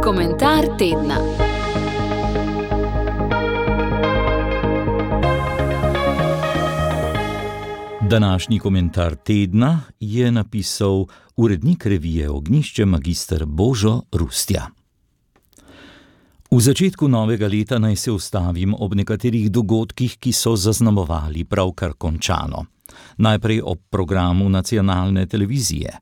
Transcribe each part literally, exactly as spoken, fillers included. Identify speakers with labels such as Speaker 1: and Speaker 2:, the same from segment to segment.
Speaker 1: Komentar tedna.
Speaker 2: Današnji komentar tedna je napisal urednik revije Ognjišče magister Božo Rustja. V začetku novega leta naj se ustavim ob nekaterih dogodkih, ki so zaznamovali pravkar končano. Najprej ob programu nacionalne televizije.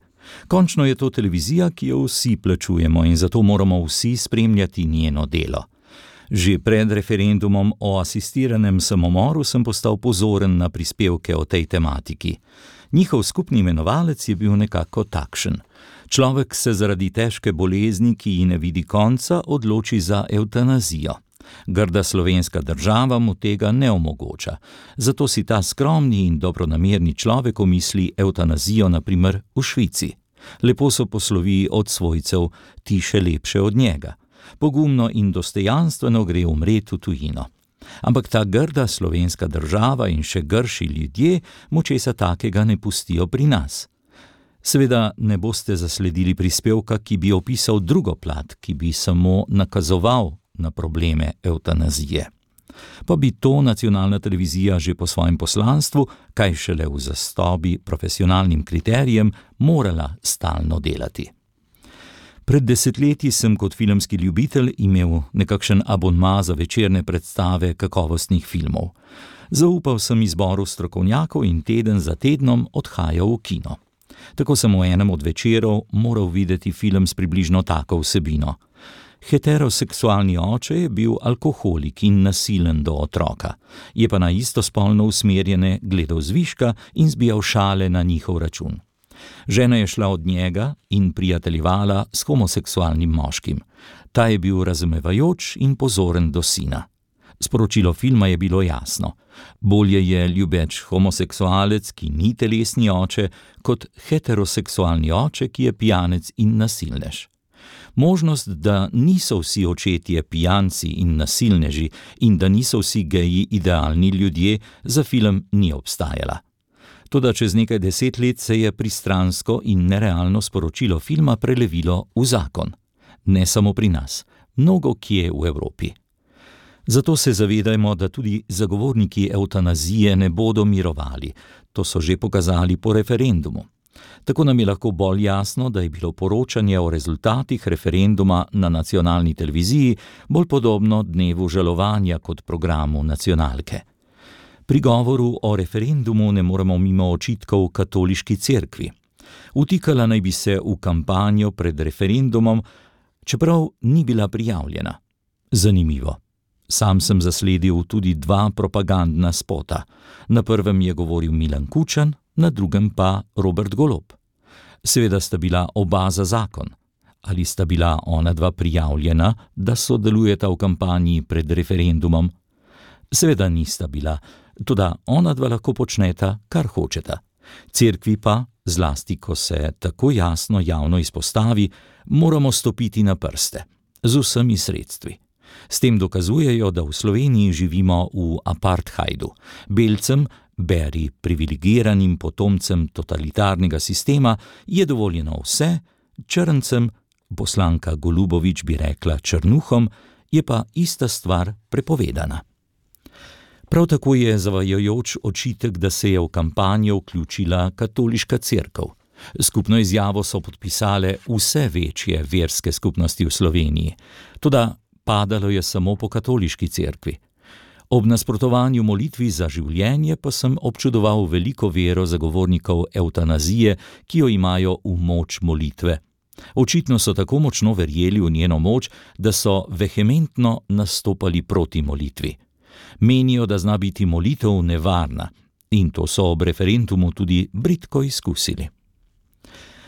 Speaker 2: Končno je to televizija, ki jo vsi plačujemo in zato moramo vsi spremljati njeno delo. Že pred referendumom o asistiranem samomoru sem postal pozoren na prispevke o tej tematiki. Njihov skupni imenovalec je bil nekako takšen. Človek se zaradi težke bolezni, ki ji ne vidi konca, odloči za evtanazijo. Grda slovenska država mu tega ne omogoča. Zato si ta skromni in dobronamerni človek omisli evtanazijo na primer v Švici. Lepo so poslovi od svojcev, ti še lepše od njega. Pogumno in dostojanstveno gre umret v tujino. Ampak ta grda slovenska država in še grši ljudje mu česa takega ne pustijo pri nas. Seveda ne boste zasledili prispevka, ki bi opisal drugo plat, ki bi samo nakazoval na probleme evtanazije. Pa bi to nacionalna televizija že po svojem poslanstvu, kaj šele v zastobi profesionalnim kriterijem, morala stalno delati. Pred desetletji sem kot filmski ljubitelj imel nekakšen abonma za večerne predstave kakovostnih filmov. Zaupal sem izboru strokovnjakov in teden za tednom odhajal v kino. Tako sem v enem od večerov moral videti film s približno tako vsebino. Heteroseksualni oče je bil alkoholik in nasilen do otroka, je pa na istospolno usmerjene gledal zviška in zbijal šale na njihov račun. Žena je šla od njega in prijateljevala s homoseksualnim moškim. Ta je bil razumevajoč in pozoren do sina. Sporočilo filma je bilo jasno. Bolje je ljubeč homoseksualec, ki ni telesni oče, kot heteroseksualni oče, ki je pijanec in nasilnež. Možnost, da niso vsi očetje pijanci in nasilneži in da niso vsi geji idealni ljudje, za film ni obstajala. Toda čez nekaj deset let se je pristransko in nerealno sporočilo filma prelevilo v zakon. Ne samo pri nas, mnogo kje v Evropi. Zato se zavedajmo, da tudi zagovorniki evtanazije ne bodo mirovali. To so že pokazali po referendumu. Tako nam je lahko bolj jasno, da je bilo poročanje o rezultatih referenduma na nacionalni televiziji bolj podobno dnevu žalovanja kot programu nacionalke. Pri govoru o referendumu ne moremo mimo očitkov katoliški cerkvi. Vtikala naj bi se v kampanjo pred referendumom, čeprav ni bila prijavljena. Zanimivo. Sam sem zasledil tudi dva propagandna spota. Na prvem je govoril Milan Kučan, na drugem pa Robert Golob. Seveda sta bila oba za zakon. Ali sta bila ona dva prijavljena, da sodelujeta v kampanji pred referendumom? Seveda nista bila, toda ona dva lahko počneta, kar hočeta. Cerkvi pa, zlasti ko se tako jasno javno izpostavi, moramo stopiti na prste, z vsemi sredstvi. S tem dokazujejo, da v Sloveniji živimo v apartheidu. Belcem, beri privilegiranim potomcem totalitarnega sistema, je dovoljeno vse, črncem, poslanka Golubovič bi rekla črnuhom, je pa ista stvar prepovedana. Prav tako je zavajajoč očitek, da se je v kampanjo vključila katoliška cerkev. Skupno izjavo so podpisale vse večje verske skupnosti v Sloveniji. Toda padalo je samo po katoliški cerkvi. Ob nasprotovanju molitvi za življenje pa sem občudoval veliko vero zagovornikov evtanazije, ki jo imajo v moč molitve. Očitno so tako močno verjeli v njeno moč, da so vehementno nastopali proti molitvi. Menijo, da zna biti molitev nevarna, in to so ob referendumu tudi bridko izkusili.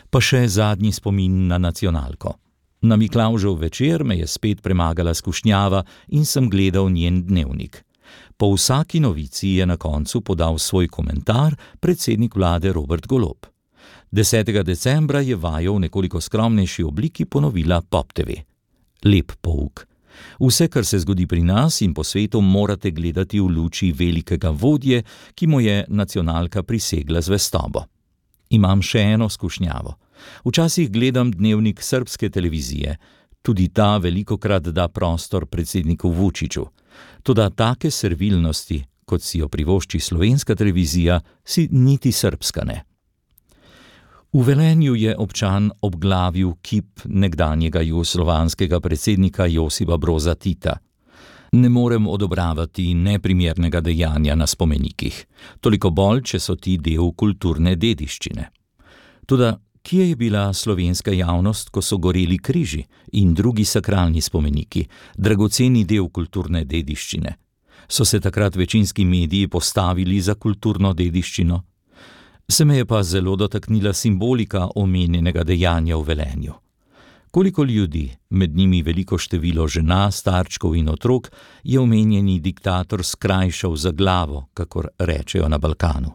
Speaker 2: Pa še zadnji spomin na nacionalko. Na Miklavžev večer me je spet premagala skušnjava in sem gledal njen dnevnik. Po vsaki novici je na koncu podal svoj komentar predsednik vlade Robert Golob. desetega decembra je vajo v nekoliko skromnejši obliki ponovila Pop te ve. Lep pouk. Vse, kar se zgodi pri nas in po svetu, morate gledati v luči velikega vodje, ki mu je nacionalka prisegla zvestobo. Imam še eno skušnjavo. Včasih gledam dnevnik srbske televizije. Tudi ta velikokrat da prostor predsedniku Vučiću. Toda take servilnosti, kot si jo privošči slovenska televizija, si niti srbska ne. V Velenju je občan obglavil kip nekdanjega jugoslovanskega predsednika Josipa Broza Tita. Ne morem odobravati neprimernega dejanja na spomenikih, toliko bolj, če so ti del kulturne dediščine. Toda kje je bila slovenska javnost, ko so goreli križi in drugi sakralni spomeniki, dragoceni del kulturne dediščine? So se takrat večinski mediji postavili za kulturno dediščino? Se me je pa zelo dotaknila simbolika omenjenega dejanja v Velenju. Koliko ljudi, med njimi veliko število žena, starčkov in otrok, je omenjeni diktator skrajšal za glavo, kakor rečejo na Balkanu.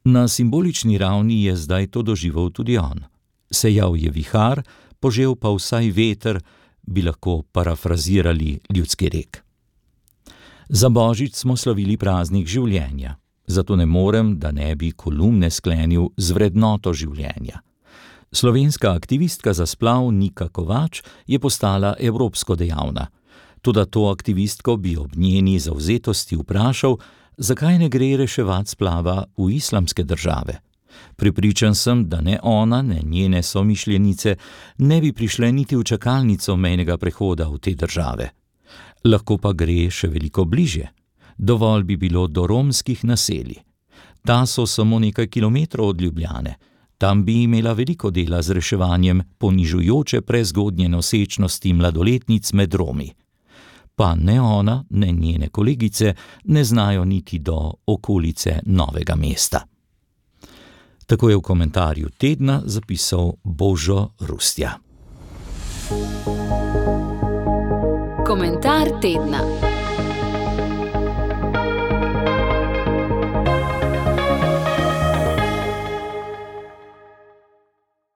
Speaker 2: Na simbolični ravni je zdaj to doživel tudi on. Sejal je vihar, požel pa vsaj veter, bi lahko parafrazirali ljudski rek. Za Božič smo slavili praznik življenja, zato ne morem, da ne bi kolumne sklenil z vrednoto življenja. Slovenska aktivistka za splav Nika Kovač je postala evropsko dejavna. Toda to aktivistko bi ob njeni zavzetosti vprašal, zakaj ne gre reševati splava v islamske države. Prepričan sem, da ne ona, ne njene somišljenice ne bi prišle niti v čakalnico mejnega prehoda v te države. Lahko pa gre še veliko bližje. Dovolj bi bilo do romskih naselij. Ta so samo nekaj kilometrov od Ljubljane. Tam bi imela veliko dela z reševanjem ponižujoče prezgodnje nosečnosti mladoletnic med Romi. Pa ne ona, ne njene kolegice ne znajo niti do okolice Novega mesta. Tako je v komentarju tedna zapisal Božo Rustja.
Speaker 1: Komentar tedna.